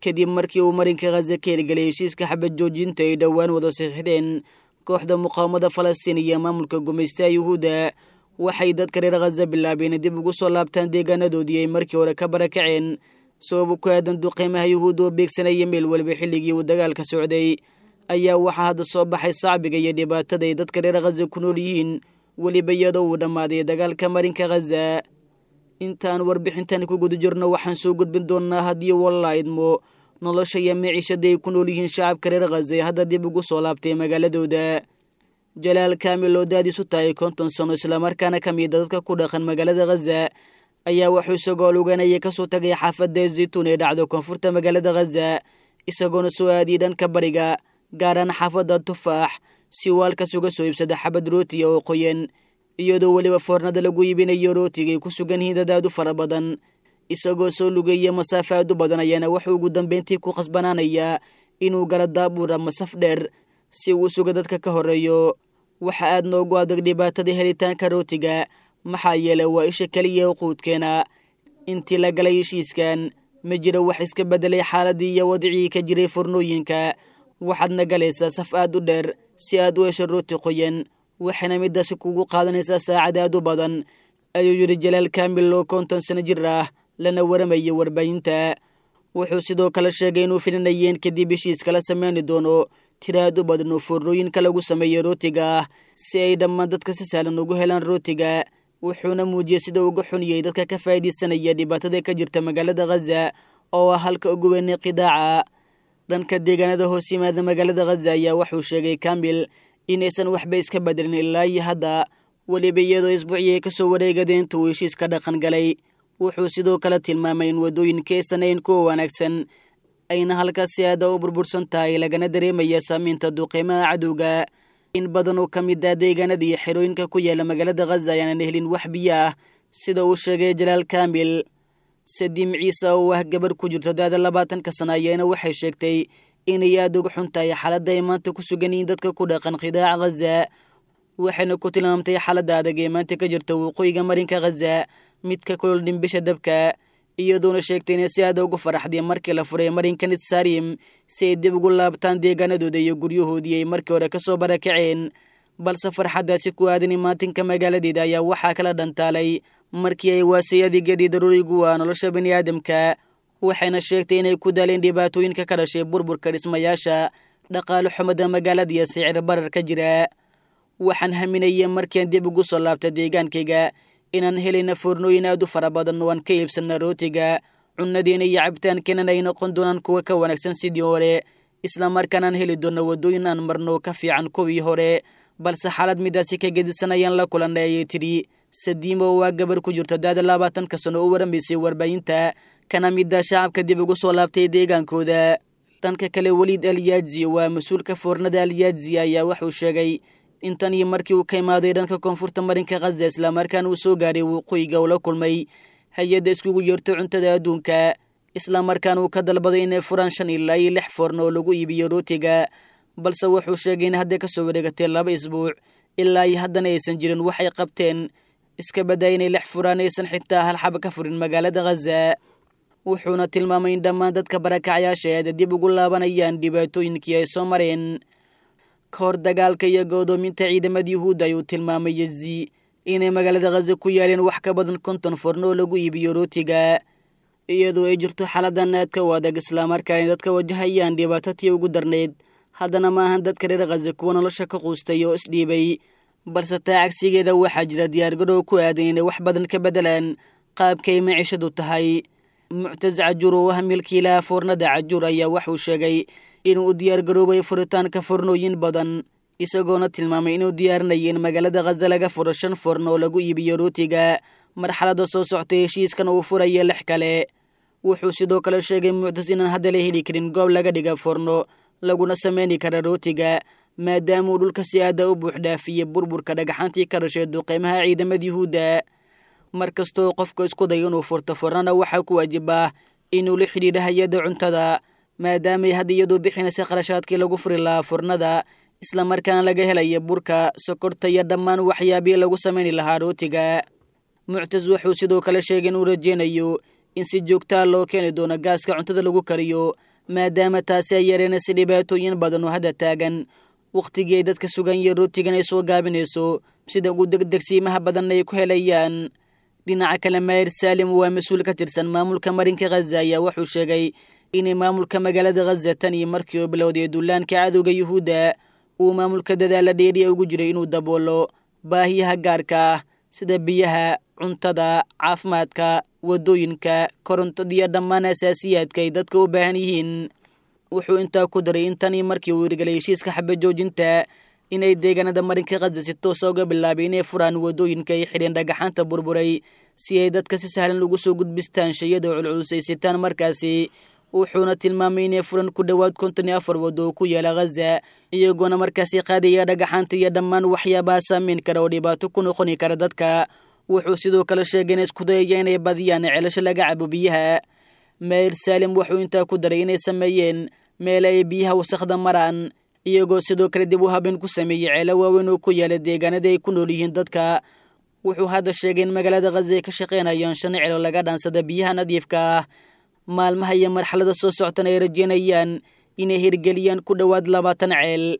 Kadib markii uu marinka Khaza ka hirgeliyay heshiiska xabad joojinta ay dhowaan wada saxiixdeen kooxda muqaawamada Falastiin iyo maamulka gumaystaha Yuhuudda, waxay dadka reer Khaza bilaabeen dib ugu soo laabtaan deegaanadoodii ay markii hore ka barakaceen, sababo ku aadan duqeymaha Yuhuudda oo beegsanaya meel waliba xilligii uu dagaalka socday. Ayaa waxaa hadda soo baxay sacbiga iyo dhibaatada ay dadka reer Khaza ku nool yihiin, weliba iyadoo uu dhammaaday dagaalka marinka Khaza. Intaan warbixintan ku guda jirno, waxaan soo gudbin doonnaa, haddii walla idmo, nolosha iyo maciishada ay ku nool yihiin shacabka reer Khaza ee hadda dib ugu soo laabtay magaaladooda. Jalaal Kaamil oo daadiisu tahay 50 sano, islamarkaana ka mida dadka ku dhaqan magaalada Khaza, ayaa wuxuu isagoo luganaya kasoo tagay xaafadda Zaytuun ee dhacdo koonfurta magaalada Khaza, isagoona soo aadiyay dhanka bariga, gaaraan xaafadda Tufaax, si uu halkaas uga soo iibsada xabad rootiga oo qoyan, iyadoo weliba foornada lagu iibinayo rootiga ay ku sugan yihiin dad aad u fara badan. Isagoo soo lugeeya masaafo aad u badan ayaana wuxuu ugu dambeyntii ku khasbanaanayaa inuu galo daabuur ama saf dheer si uu u suga dadka ka horreeyo. Waxa aad noogu adag dhibaatada helitaanka rootiga, maxaa yeelay waa isha keliya oo quudkeena. Intii la galay heshiiskan, ma jiro wax iska beddelay xaaladii iyo wadcigii ka jiray furnooyinka. Waxaadna galaysaa saf aad u dheer si aad u hesho rooti qoyan, waxayna midaasi kugu qaadanaysaa saacad aad u badan, ayuu yidhi Jalaal Kaamil oo 50 sano jir ah, lana waramayay warbaahinta. Wuxuu sidoo kale sheegay inuu filinayeen kadib heshiiska la sameyni doono tira aad u badan oo foornooyinka lagu sameeyo rootiga ah, si ay dhammaan dadka si sahlan ugu helaan rootiga. Wuxuuna muujiyey sida uga xuniyey dadka ka faa'iidaysanaya dhibaatada ka jirta magaalada Khaza oo ah halka ugu weynay qidaaca. Dhanka deegaanada hoos yimaada magaalada Khaza ayaa wuxuu sheegay Kaamil inaysan waxba iska bedelin ilaa iyo hadda, weliba iyadoo isbuucii ay kasoo wareegadeen inta uu heshiiska dhaqan galay. Wuxuu sidoo kale tilmaamay in waddooyinka aysan ahayn kuwa wanaagsan, ayna halkaas si aada u burbursan tahay, lagana dareemaya saamaynta duqeymaha cadowga. In badan oo ka mid ah deegaanada iyo xerooyinka ku yaala magaalada Khaza ayaanan helin wax biyo ah, sida uu sheegay Jalaal Kaamil. Sadiim Ciise oo ah gabar ku jirto da'da 20-ka sano ayaana waxay sheegtay inay aada uga xun tahay xaaladda ay maanta ku sugan yihiin dadka ku dhaqan qidaaca Khaza, waxayna ku tilmaamtay xaaladda adag ee maanta ka jirta waqooyiga marinka Khaza mid ka kulol dhimbisha dabka, iyadoona sheegtay inay si aada ugu faraxday markii la furay marinka Nitsarim si ay dib ugu laabtaan deegaanadooda iyo guryahoodii ay markii hore kasoo barakaceen. Balse farxaddaasi ku aadan imaatinka magaaladeeda ayaa waxaa kala dhantaalay markii ay waasay adeegyadii daruurigu ah nolosha biniaadamka. Waxayna sheegtay inay ku daaleen dhibaatooyinka ka dhashay burburka dhismayaasha, dhaqaale xumada magaalada iyo sicir barar ka jira. Waxaan haminayay markian dib ugu soo laabta deegaankayga inaan helayna foornooyin aad u fara badan oo aan ka iibsana rootiga, cunnadeena iyo cabitaankeenana ay noqon doonaan kuwa ka wanaagsan sidii hore, islamarkaanaan heli doonno waddooyin aan marno ka fiican kuwii hore, balse xaalad midaasi ka gedisan ayaan la kulannay, ayay tidhi Sadiimo oo waa gabar ku jirta da'da 20-ka sano u waramaysay warbaahinta, kana mida shacabka dib ugu soo laabtay deegaankooda. Dhanka kale, Weliid Alyaaji waa mas-uulka foornada Alyaaji ayaa wuxuu sheegay in tan iyo markii uu ka imaaday dhanka koonfurta marinka Khaza islamarkaana uu soo gaadhay waqooyiga uu la kulmay hay-adda iskugu yeerto cuntada adduunka, islamarkaana uu ka dalbaday inay furaan 5 ilaa iyo 6 foorno oo lagu iibiyo rootiga. Balse wuxuu sheegay in hadda kasoo wareegatay 2 isbuuc ilaa iyo haddana aysan jirin waxay qabteen, iska badaa inay 6 furaan, aysan xitaa hal xaba ka furin magaalada Khaza. Wuxuuna tilmaamay in dhammaan dadka barakacayaasha eeda dib ugu laabanayaan dhibaatooyinkii ay soo mareen ka hor dagaalka iyo go'doominta ciidamada Yuhuudda. Ayuu tilmaamay Yezi inay magaalada Khaza ku yaaleen wax ka badan 50 forno oo lagu iibiyo rootiga. Iyadoo ay jirto xaaladan aadka u adag, islamarkaana dadka wajahayaan dhibaato tii ugu darnayd, haddana ma ahan dadka reer Khaza kuwa nolosha ka quustay oo isdhiibay, balse taa cagsigeeda waxaa jira diyaargarow ku aadan inay wax badan ka beddelaan qaabkay maciishadu tahay. Muctas Cajuur oo ah milkiilaha foornada Cajuur ayaa waxuu sheegay inuu u diyaargaroobay furitaanka foornooyin badan, isagoona tilmaamay inuu diyaarinaya in magaalada Khaza laga furo 5 foorno oo lagu iibiyo rootiga, marxaladda soo soctay heshiiskan uu furaya 6 kale. Wuxuu sidoo kale sheegay Muctas inaan hadda la heli karin goob laga dhiga foorno laguna sameyni kara rootiga, maadaama uu dhulka si aada u buuxdhaafiyey burburka dhagaxaantii ka dhashay duqeymaha ciidamada Yuhuudda. Mar kastoo qofka isku dayo inuu furto fornana, waxaa ku waajib ah inuu la xidhiidha hay-adda cuntada, maadaamay hadda iyadoo bixinaysa qarashaadkii lagu furi lahaa furnada, islamarkaana laga helaya burka, sokorta iyo dhammaan waxyaabihii lagu samayni lahaa rootiga. Muctas wuxuu sidoo kale sheegay inuu rajeynayo in si joogtaa loo keeni doono gaaska cuntada lagu kariyo, Maadaama taasi ay yareenaysa dhibaatooyin badan oo hadda taagan wakhtigii ay dadka sugan yihiin rootigan ay soo gaabinayso sida ugu degdegsiimaha badanna ay ku helayaan. Dhinaca kale, Maayir Saalim waa mas-uul ka tirsan maamulka marinka Khaza ayaa wuxuu sheegay inay maamulka magaalada Khaza tan iyo markii uu bilowday duulaanka cadowga Yuhuudda uu maamulka dadaala dheeriya ugu jiray inuu daboolo baahiyaha gaarka ah sida biyaha, cuntada, caafimaadka, waddooyinka, korontada iyo dhammaan asaasiyaadka ay dadka u baahan yihiin. Wuxuu intaa ku daray in tanii markii uu hirgelay heshiiska xabajoojinta inay deegaanada marinka Khaza si toosa uga bilaabay inay furaan waddooyinka ay xidheen dhagaxaanta burburay si ay dadka si sahlan ugu soo gudbistaan shayada culculusaysitaan markaasi. Wuxuuna tilmaamay inay furan ku dhowaad 54 waddo oo ku yaala Khaza, iyagoona markaasi qaadaya dhagaxaanta iyo dhammaan waxyaabaha saameyn kara oo dhibaato ku noqoni kara dadka. Wuxuu sidoo kale sheegay inay isku dayaya inay badiyaan ceelasha laga cabo biyaha. Maayir Saalim wuxuu intaa ku daray inay sameeyeen meel ay biyaha wasakhda maraan, iyagoo sidoo kale dib u habeen ku sameeyey ceelo waaweyn oo ku yaala deegaanada ay ku nool yihiin dadka. Wuxuu hadda sheegay in magaalada Khaza ay ka shaqaynayaan 5 celo laga dhaansada biyaha nadiifka ah, maalmaha iyo marxalada soo soctana ay rajeynayaan inay hirgeliyaan ku dhowaad 20 ceel.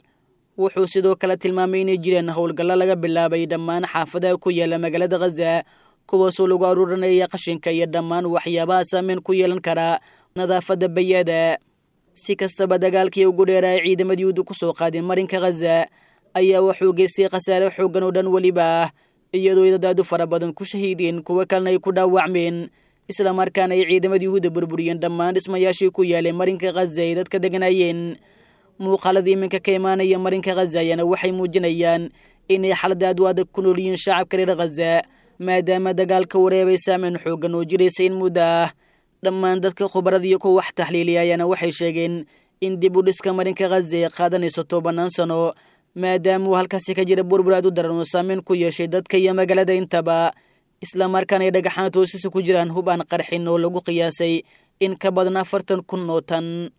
Wuxuu sidoo kale tilmaamay inay jireen howlgallo laga bilaabay dhammaan xaafadaha ku yaala magaalada Khaza, kuwaasoo lagu aruurinaya qashinka iyo dhammaan waxyaabaha saameyn ku yeelan kara nadaafadda bayada. Si kastaba, dagaalkii ugu dheeraay ciidamada Yuhuudda ku soo qaadeen marinka Khaza ayaa wuxuu geystay khasaare xooggan oo dhan weliba ah, iyadoo dad aad u fara badan ku shahiideen, kuwo kalena ay ku dhaawacmeen, islamarkaana ay ciidamada Yuhuudda burburiyeen dhammaan dhismayaashii ku yaalay marinka Khaza ay dadka deganayeen. Muuqaalada iminka ka imaanaya marinka Khaza ayaana waxay muujinayaan inay xalada aad u adag ku nool yihiin shacabka reer Khaza, maadaama dagaalka wareebay saameyn xooggan oo jiraysa in muddo ah. Dhammaan dadka khubarada iyo kuwa wax taxliiliya ayaana waxay sheegeen in dib u dhiska marinka Khaza ay qaadanayso 10 sano, maadaama uu halkaasi ka jira burbur aad u daran oo saameyn ku yeeshay dadka iyo magaalada intaba, islamarkaana ay dhagaxaanta hoosisa ku jiraan hub aan qarxin oo lagu qiyaasay in ka badan 40,000 oo tan.